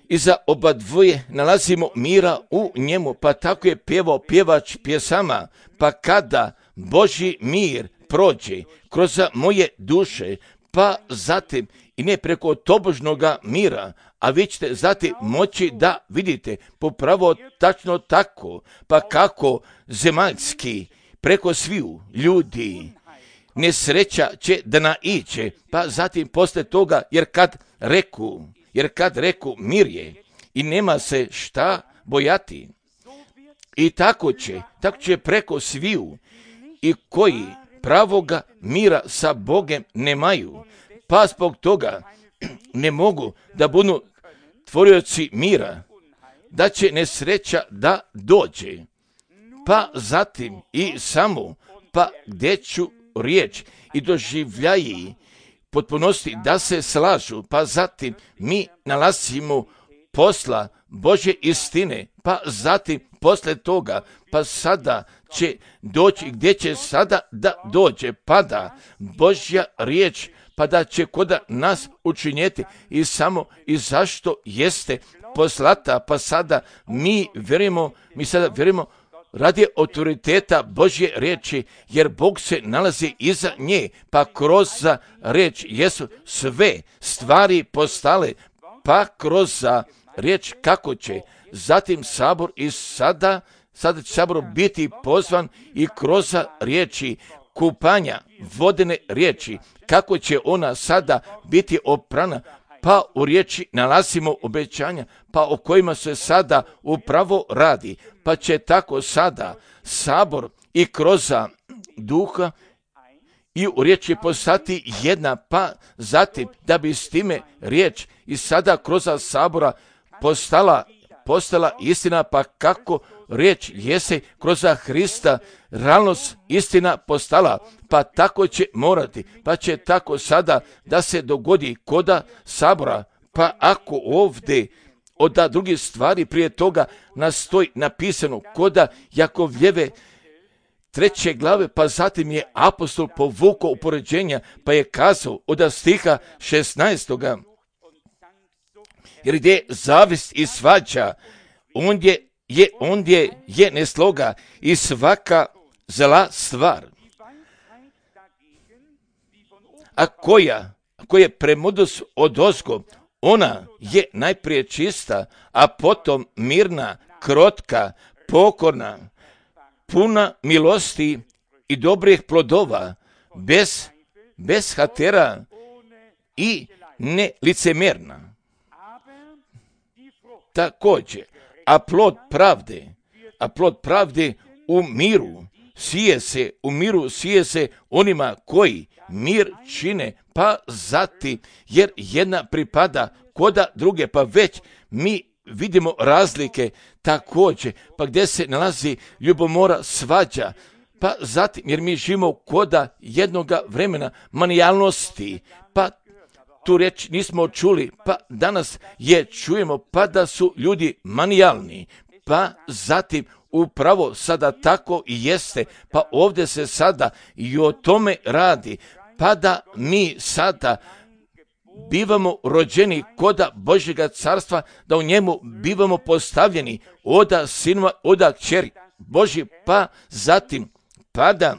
i za oba dvoje nalazimo mira u njemu, pa tako je pjevao pjevač pjesama, pa kada Božji mir prođe kroz moje duše, pa zatim i ne preko tobožnoga mira, a vi ćete zatim moći da vidite popravo tačno tako, pa kako zemaljski preko sviju ljudi nesreća će da naiđe, pa zatim posle toga, jer kad reku, Jer kad reku mir je i nema se šta bojati. I tako će, tako će preko sviju i koji pravoga mira sa Bogem nemaju, pa zbog toga ne mogu da budu tvorioci mira, da će nesreća da dođe. Pa zatim i samo, pa gdje ću riječ i doživljaji potpunosti da se slažu, pa zatim mi nalazimo posla Božje istine, pa zatim posle toga, pa sada će doći, gdje će sada da dođe, pa da Božja riječ, pa da će koda nas učinjeti i samo i zašto jeste poslata, pa sada mi vjerujemo, mi sada vjerujemo radi autoriteta Božje riječi, jer Bog se nalazi iza nje, pa kroz riječ jesu sve stvari postale, pa kroz riječ kako će zatim sabor i sada, sada će sabor biti pozvan i kroz riječi kupanja vodene riječi, kako će ona sada biti oprana, pa u riječi nalazimo obećanja, pa o kojima se sada upravo radi, pa će tako sada sabor i kroz duha i u riječ je postati jedna, pa zatim da bi s time riječ i sada kroz sabora postala, postala istina, pa kako riječ jese kroz Hrista realnost istina postala, pa tako će morati, pa će tako sada da se dogodi koda sabora, pa ako ovdje od drugih stvari prije toga nastoji napisano koda Jakovljeve treće glave, pa zatim je apostol povukao upoređenja, pa je kazao od stiha šesnaestoga jer gdje je zavist i svađa, ondje je, ondje je nesloga i svaka zla stvar. A koja, koja premudrost odozgo, ona je najprije čista, a potom mirna, krotka, pokorna, puna milosti i dobrih plodova, bez, bez hatera i nelicemjerna. Također, a plod pravde, a plod pravde u miru sije se, u miru sije se onima koji mir čine, pa zati, jer jedna pripada koda druge, pa već mi vidimo razlike također, pa gdje se nalazi ljubomora, svađa, pa zatim, jer mi živimo koda jednoga vremena manijalnosti, pa tu riječ nismo čuli, pa danas je čujemo, pa da su ljudi manijalni, pa zatim upravo sada tako i jeste, pa ovdje se sada i o tome radi, pa da mi sada bivamo rođeni koda Božjega carstva, da u njemu bivamo postavljeni oda sinova, oda kćeri Božji, pa zatim pada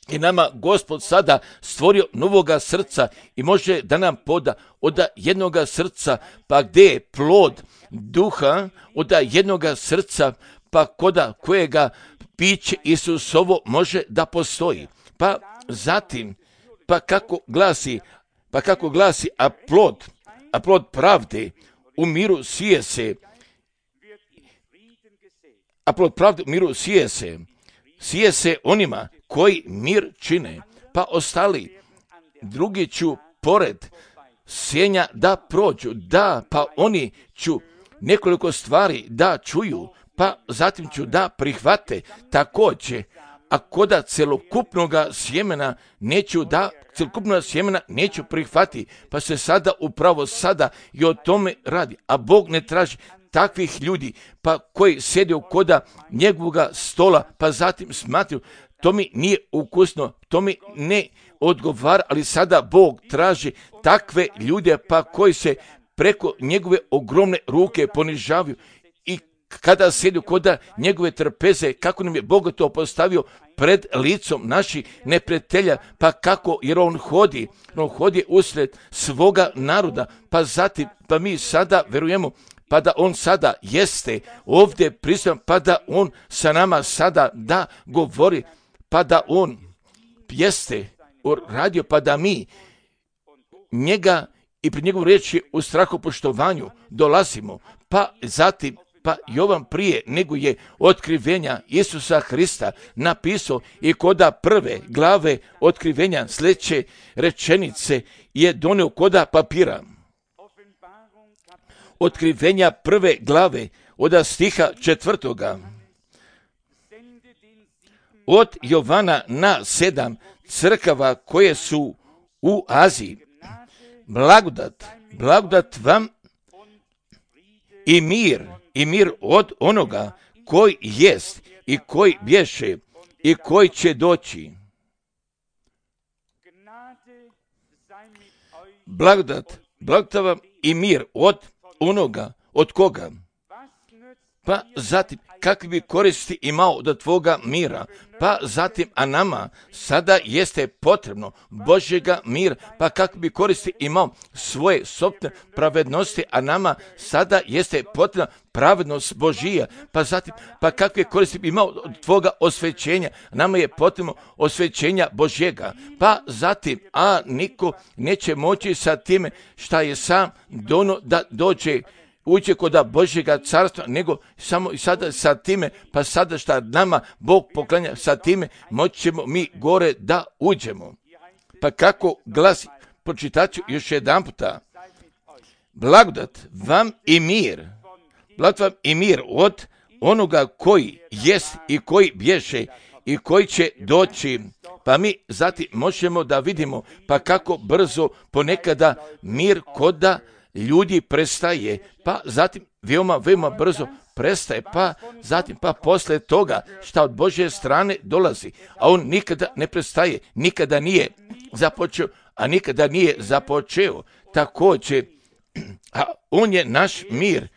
i nama Gospod sada stvorio novoga srca i može da nam poda od jednoga srca, pa gdje je plod duha od jednoga srca, pa koda kojega piće Isusovo može da postoji. Pa zatim, pa kako glasi, pa kako glasi, a plod, a plod pravde u miru sije se, a plod pravde u miru sije se, sije se onima koji mir čine, pa ostali drugi ću pored sjenja da prođu, da, pa oni ću nekoliko stvari da čuju, pa zatim ću da prihvate također, a koda celokupnoga sjemena neću da, celokupnoga sjemena neću prihvati, pa se sada upravo sada i o tome radi, a Bog ne traži takvih ljudi, pa koji sjede u koda njegovoga stola, pa zatim smatruju, to mi nije ukusno, to mi ne odgovara, ali sada Bog traži takve ljude, pa koji se preko njegove ogromne ruke ponižavaju i kada sjede koda njegove trpeze, kako nam je Bog to postavio pred licom naših neprijatelja, pa kako, jer on hodi, on hodi usred svoga naroda, pa zatim, pa mi sada verujemo, pa da on sada jeste ovdje prisutan, pa da on sa nama sada da govori, pa da on jeste radio, pa da mi njega i pred njegovu riječi u strahopoštovanju dolazimo, pa zatim, pa Jovan prije nego je otkrivenja Isusa Hrista napisao i koda prve glave otkrivenja sljedeće rečenice je donio koda papira. Otkrivenja prve glave od stiha četvrtoga. Od Jovana na sedam crkava koje su u Aziji. Blagodat, blagodat vam i mir, i mir od onoga koji jest i koji bješe i koji će doći. Blagodat, blagodat vam i mir od onoga, od koga? Pa zatim, kakvi bi koristi imao od tvoga mira? Pa zatim, a nama sada jeste potrebno Božjega mira, pa kakvi bi koristi imao svoje sopstvene pravednosti, a nama sada jeste potrebna pravednost Božija, pa zatim, pa kakve koristi bi imao od tvoga osvećenja? Nama je potrebno osvećenja Božjega, pa zatim, a niko neće moći sa time šta je sam dono da dođe ući kod Božjega carstva, nego samo i sada sa time, pa sada šta nama Bog poklanja sa time, moćemo mi gore da uđemo. Pa kako glasi, pročitat ću još jedan puta. Blagodat vam i mir, blagodat vam i mir od onoga koji jest i koji bješe i koji će doći. Pa mi zatim možemo da vidimo pa kako brzo ponekada mir koda ljudi prestaje, pa zatim veoma, veoma brzo prestaje, pa zatim pa posle toga šta od Božje strane dolazi, a on nikada ne prestaje, nikada nije započeo, a nikada nije započeo. Također, a on je naš mir,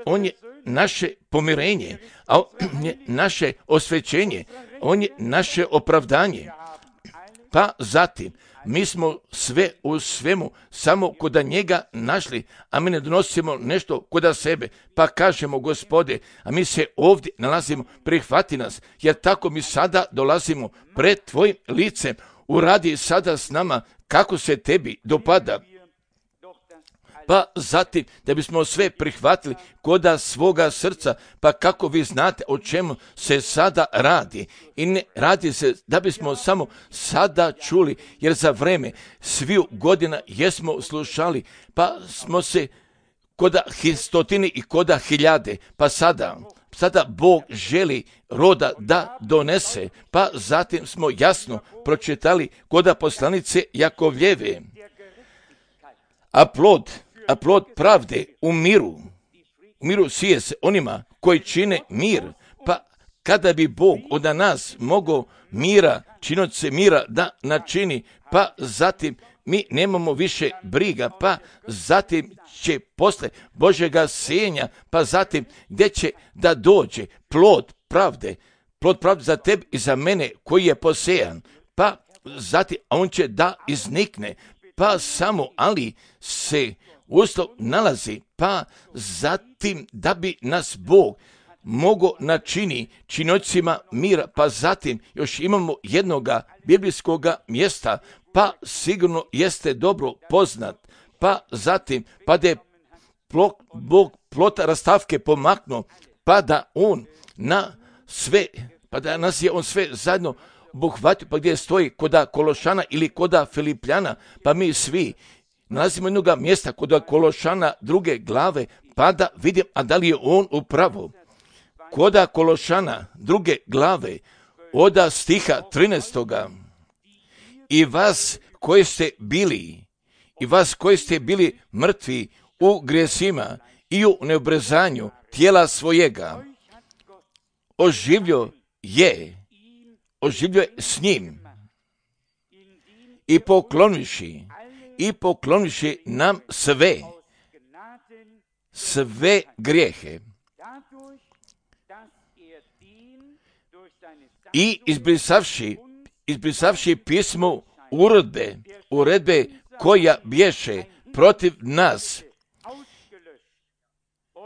on je naše pomirenje, a on je naše osvećenje, on je naše opravdanje. Pa zatim, mi smo sve u svemu samo koda njega našli, a mi ne donosimo nešto koda sebe, pa kažemo Gospode, a mi se ovdje nalazimo, prihvati nas, jer tako mi sada dolazimo pred tvojim licem, uradi sada s nama kako se tebi dopada. Pa zatim, da bismo sve prihvatili koda svoga srca, pa kako vi znate o čemu se sada radi. I ne radi se da bismo samo sada čuli, jer za vreme sviju godina jesmo slušali, pa smo se koda stotini i koda hiljade, pa sada, sada Bog želi roda da donese, pa zatim smo jasno pročitali koda poslanice Jakovljeve. A plod A plod pravde u miru, u miru sije se onima koji čine mir, pa kada bi Bog od nas mogao mira, činoće mira da načini, pa zatim mi nemamo više briga, pa zatim će posle Božjega sijenja, pa zatim gdje će da dođe plod pravde, plod pravde za tebe i za mene koji je posejan, pa zatim on će da iznikne, pa samo ali se uslov nalazi, pa zatim da bi nas Bog mogao načini činocima mira, pa zatim još imamo jednoga biblijskoga mjesta, pa sigurno jeste dobro poznat, pa zatim pa da je Bog plota rastavke pomaknuo, pa da on na sve, pa da nas je on sve zajedno obuhvatio, pa gdje stoji koda Kološana ili koda Filipljana, pa mi svi nalazimo jednoga mjesta kod Kološana druge glave, pa da vidim, a da li je on upravo. Koda Kološana druge glave, oda stiha trinaestoga. I vas koji ste bili, i vas koji ste bili mrtvi u grijesima i u neobrezanju tijela svojega, oživljo je, oživljo je s njim i pokloniši, i pokloniši nam sve, sve grijehe i izbrisavši, izbrisavši pismo uredbe, uredbe koja bješe protiv nas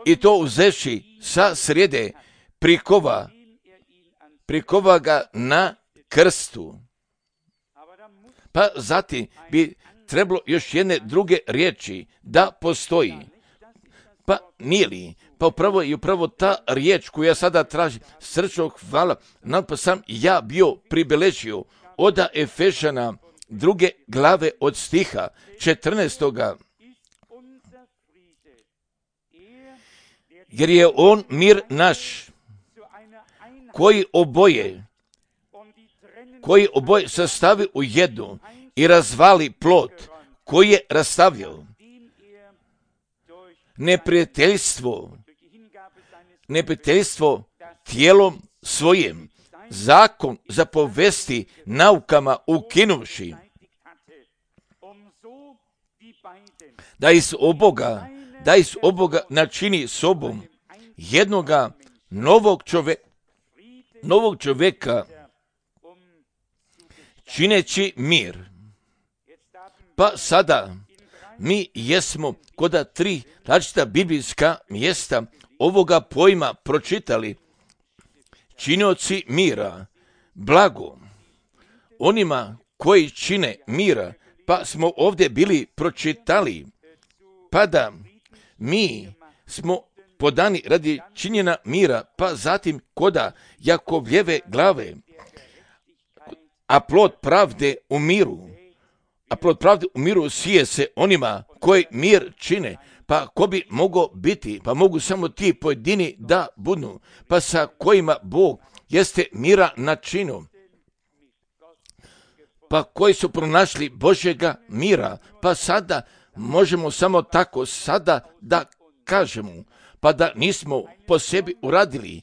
i to uzevši sa srijede prikova, prikova ga na krstu. Pa zatim bi trebalo još jedne druge riječi da postoji. Pa nije li? Pa upravo je upravo ta riječ koju ja sada tražim, srčno hvala, nam pa sam ja bio pribeležio oda Efešana druge glave od stiha četrnaestoga. Jer je on mir naš, koji oboje, koji oboje sastavi u jednu i razvali plod koji je rastavio. Neprijateljstvo, neprijateljstvo tijelom svojim, zakon zapovesti naukama ukinuvši, da iz oboga, da iz oboga načini sobom jednoga novog čovjeka, novog čovjeka, čineći mir. Pa sada mi jesmo koda tri različita biblijska mjesta ovoga pojma pročitali. Činioci mira, blago onima koji čine mira, pa smo ovdje bili pročitali, pa da mi smo podani radi činjenja mira, pa zatim koda Jakovljeve glave, a plod pravde u miru, a plod pravde u miru sije se onima koji mir čine. Pa ko bi mogao biti? Pa mogu samo ti pojedini da budu, pa sa kojima Bog jeste mira načinu, pa koji su pronašli Božjega mira. Pa sada možemo samo tako sada da kažemo, pa da nismo po sebi uradili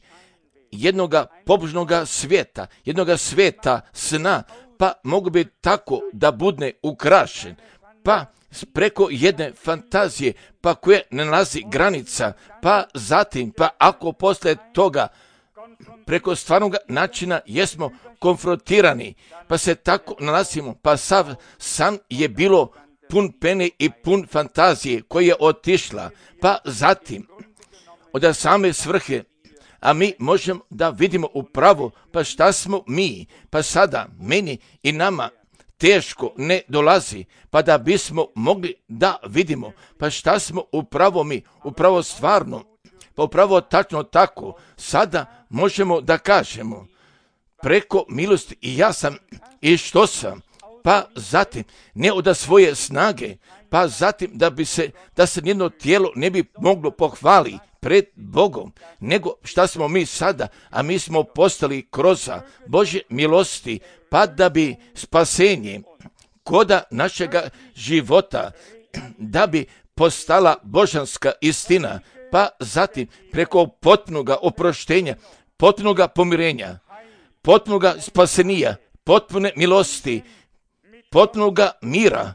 jednoga pobožnoga svijeta, jednoga svijeta sna, pa mogu bi tako da budne ukrašen, pa preko jedne fantazije, pa koje ne nalazi granica, pa zatim, pa ako posle toga preko stvarnog načina jesmo konfrontirani, pa se tako nalazimo, pa sav san je bilo pun pene i pun fantazije koja je otišla, pa zatim od same svrhe, a mi možemo da vidimo upravo, pa šta smo mi, pa sada meni i nama teško ne dolazi, pa da bismo mogli da vidimo, pa šta smo upravo mi, upravo stvarno, pa upravo tačno tako, sada možemo da kažemo, preko milosti i ja sam i što sam, pa zatim ne od svoje snage, pa zatim da bi se, da se nijedno tijelo ne bi moglo pohvali pred Bogom, nego šta smo mi sada, a mi smo postali kroz Božje milosti, pa da bi spasenje koda našega života, da bi postala božanska istina, pa zatim preko potpunoga oproštenja, potpunoga pomirenja, potpunoga spasenija, potpune milosti, potpunoga mira,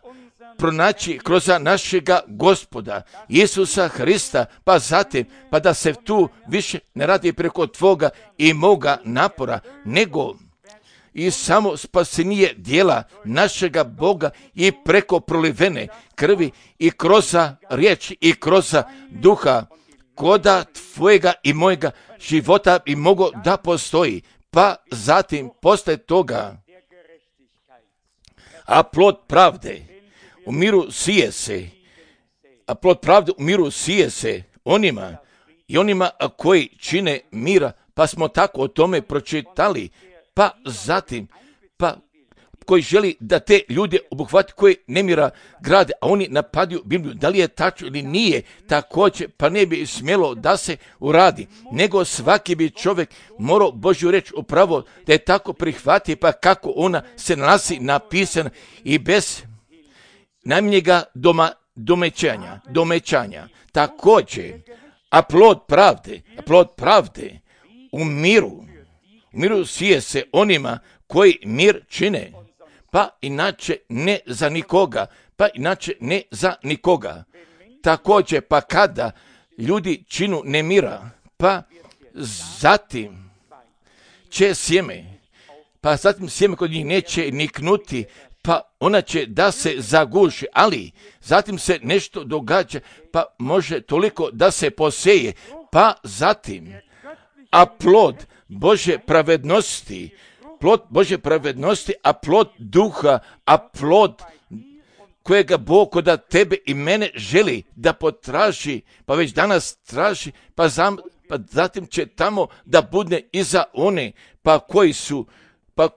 pronaći kroz našega Gospoda Isusa Hrista, pa zatim, pa da se tu više ne radi preko tvoga i moga napora, nego i samo spasenije dijela našega Boga i preko prolivene krvi i kroz riječ i kroz duha, koda tvojega i mojega života i mogo da postoji, pa zatim posle toga, a plod pravde u miru sije se, a plod pravde u miru sije se onima i onima koji čine mira, pa smo tako o tome pročitali, pa zatim, pa koji želi da te ljude obuhvati koji nemira grade, a oni napadaju Bibliju, da li je tačno ili nije, također, pa ne bi smjelo da se uradi, nego svaki bi čovjek morao Božju reč upravo da je tako prihvati, pa kako ona se nalazi napisana i bez najmanjega doma, domećanja, domećanja. Također, a plod pravde, a plod pravde u miru, u miru sije se onima koji mir čine, pa inače ne za nikoga, pa inače ne za nikoga. Također, pa kada ljudi činu nemira, pa zatim će sjeme, pa zatim sjeme kod njih neće niknuti, pa ona će da se zaguši, ali zatim se nešto događa, pa može toliko da se poseje, pa zatim, a plod Božje pravednosti, plod Božje pravednosti, a plod duha, a plod kojega Bog koda tebe i mene želi da potraži, pa već danas traži, pa, zam, pa zatim će tamo da budne i za one, pa koji su, pa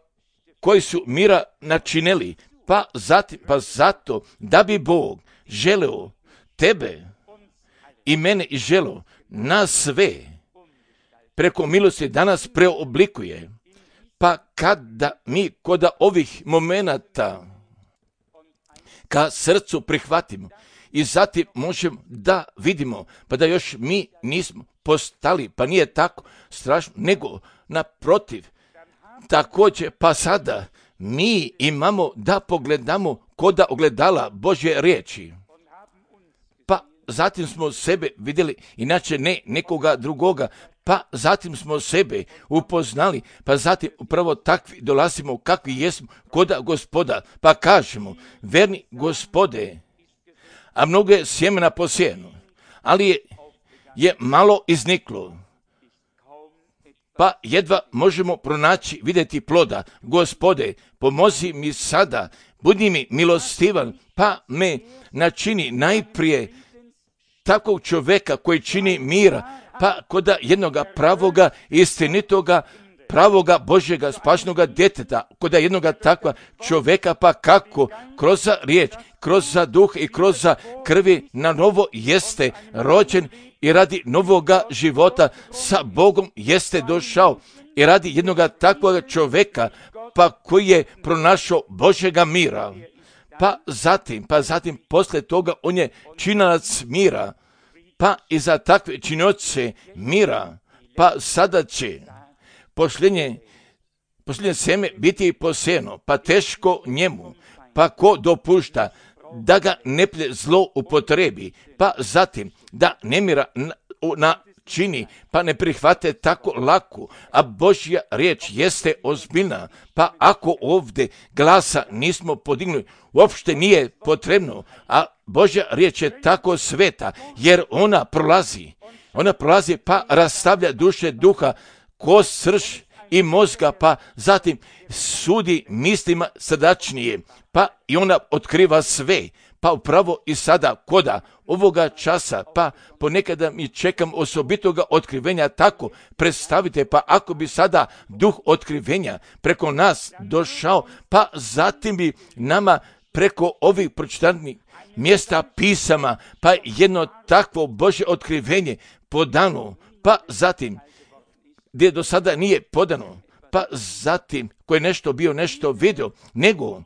koji su mira načinili, pa zatim, pa zato da bi Bog želeo tebe i mene i želeo nas sve preko milosti danas preoblikuje, pa kada mi koda ovih momenata ka srcu prihvatimo i zatim možemo da vidimo, pa da još mi nismo postali, pa nije tako strašno, nego naprotiv, također pa sada mi imamo da pogledamo koda ogledala Božje riječi, pa zatim smo sebe vidjeli, inače ne nekoga drugoga, pa zatim smo sebe upoznali, pa zatim upravo takvi dolazimo kakvi jesmo koda Gospoda, pa kažemo, verni Gospode, a mnogo je sjemena posijeno, ali je, je malo izniklo, pa jedva možemo pronaći, vidjeti ploda. Gospode, pomozi mi sada, budi mi milostivan, pa me načini najprije takvog čovjeka koji čini mira, pa kod jednoga pravoga, istinitoga, pravoga Božjega spašnoga djeteta, kod jednoga takva čovjeka, pa kako kroz riječ, kroz duh i kroz krvi na novo jeste rođen i radi novoga života sa Bogom jeste došao i radi jednoga takvoga čovjeka, pa koji je pronašao Božjega mira. Pa zatim, pa zatim poslije toga on je činac mira, pa i za takve činioce mira, pa sada će posljednje, posljednje seme biti posejano, pa teško njemu, pa ko dopušta da ga neplje zlo upotrebi, pa zatim da nemira na, na čini, pa ne prihvate tako lako, a Božja riječ jeste ozbiljna, pa ako ovdje glasa nismo podignuli, uopšte nije potrebno, a Božja riječ je tako sveta, jer ona prolazi, ona prolazi pa rastavlja duše duha, kost, srž i mozga, pa zatim sudi mislima srdačnije, pa i ona otkriva sve, pa upravo i sada koda ovoga časa, pa ponekada mi čekam osobitoga otkrivenja tako, predstavite, pa ako bi sada duh otkrivenja preko nas došao, pa zatim bi nama preko ovih pročitanih mjesta pisama, pa jedno takvo Božje otkrivenje podano, pa zatim gdje do sada nije podano, pa zatim ko je nešto bio, nešto vidio, nego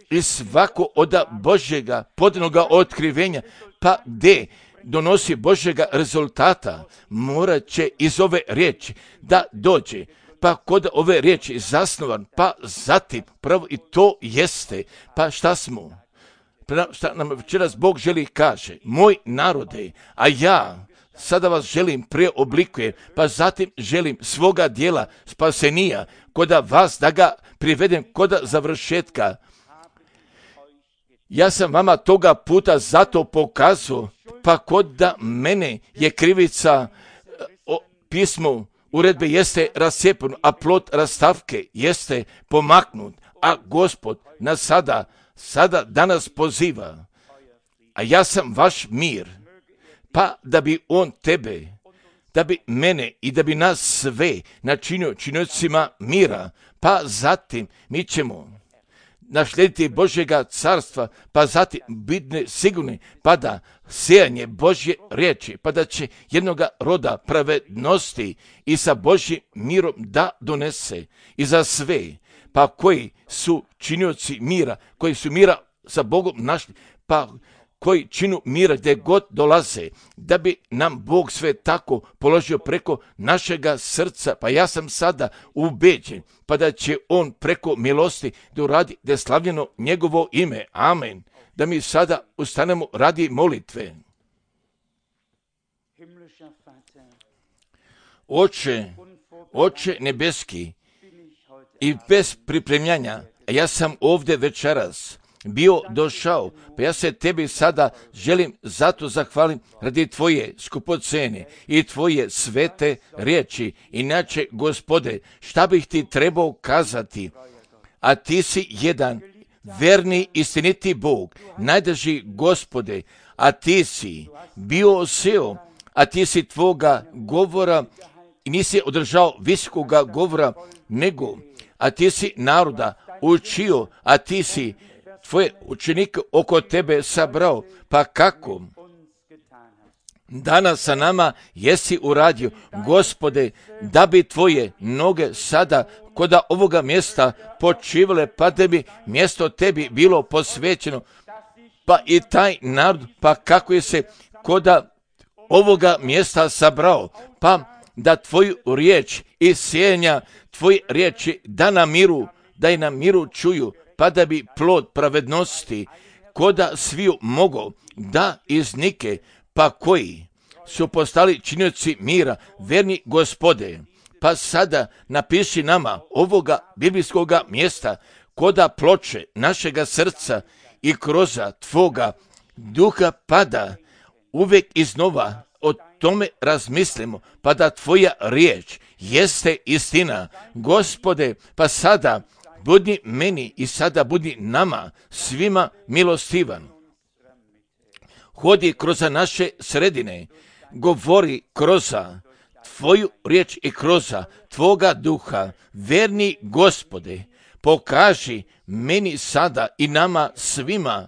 i svako od Božjega podanoga otkrivenja, pa gdje donosi Božjega rezultata, morat će iz ove riječi da dođe, pa kod ove riječi zasnovan, pa zatim pravo i to jeste, pa šta smo, šta nam večeras Bog želi kaže, moj narode, a ja sada vas želim preoblikuje, pa zatim želim svoga dijela spasenija, koda vas da ga privedem koda završetka. Ja sam vama toga puta zato pokazao, pa kod da mene je krivica o pismu uredbe jeste rasjepano, a plod rastavke jeste pomaknut, a Gospod nas sada, sada danas poziva, a ja sam vaš mir, pa da bi on tebe, da bi mene i da bi nas sve načinio činiocima mira, pa zatim mi ćemo naslijediti Božjega carstva, pa zatim biti sigurni, pa da sejanje Božje riječi, pa da će jednoga roda pravednosti i sa Božjim mirom da donese i za sve, pa koji su činioci mira, koji su mira sa Bogom našli, pa koji činu mira gdje god dolaze, da bi nam Bog sve tako položio preko našega srca, pa ja sam sada ubeđen, pa da će on preko milosti da uradi da je slavljeno njegovo ime. Amen. Da mi sada ustanemo radi molitve. Oče, Oče nebeski, i bez pripremljanja, ja sam ovdje večeras bio došao, pa ja se tebi sada želim zato zahvalim radi tvoje skupocene i tvoje svete riječi. Inače, Gospode, šta bih ti trebao kazati, a ti si jedan verni istiniti Bog, najdrži Gospode, a ti si bio oseo, a ti si tvoga govora i nisi održao visokoga govora, nego, a ti si naroda učio, a ti si tvoje učenike oko tebe sabrao, pa kako danas sa nama jesi uradio, Gospode, da bi tvoje noge sada koda ovoga mjesta počivale, pa da bi mjesto tebi bilo posvećeno, pa i taj narod, pa kako je se koda ovoga mjesta sabrao, pa da tvoju riječ i sjenja tvoje riječi da na miru, da i na miru čuju, pa da bi plod pravednosti koda sviju mogo da iznike, pa koji su postali činioci mira, verni Gospode, pa sada napiši nama ovoga biblijskoga mjesta koda ploče našega srca i kroz tvoga duha pada uvijek iznova o tome razmislimo, pa da tvoja riječ jeste istina. Gospode, pa sada budi meni i sada budi nama svima milostivan. hodi kroz naše sredine, govori kroz Tvoju riječ i kroz Tvoga duha. Verni Gospode, pokaži meni sada i nama svima.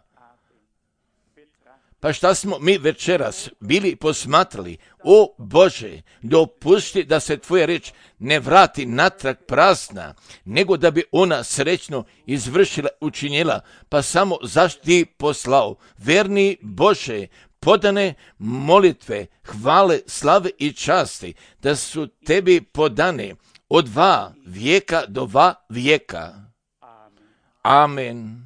Pa šta smo mi večeras bili posmatrali? O Bože, dopusti da se Tvoja riječ ne vrati natrag prazna, nego da bi ona srećno izvršila, učinjela, pa samo zašto Ti poslao. Verni Bože, podane molitve, hvale, slave i časti, da su Tebi podane od dva vijeka do dva vijeka. Amen.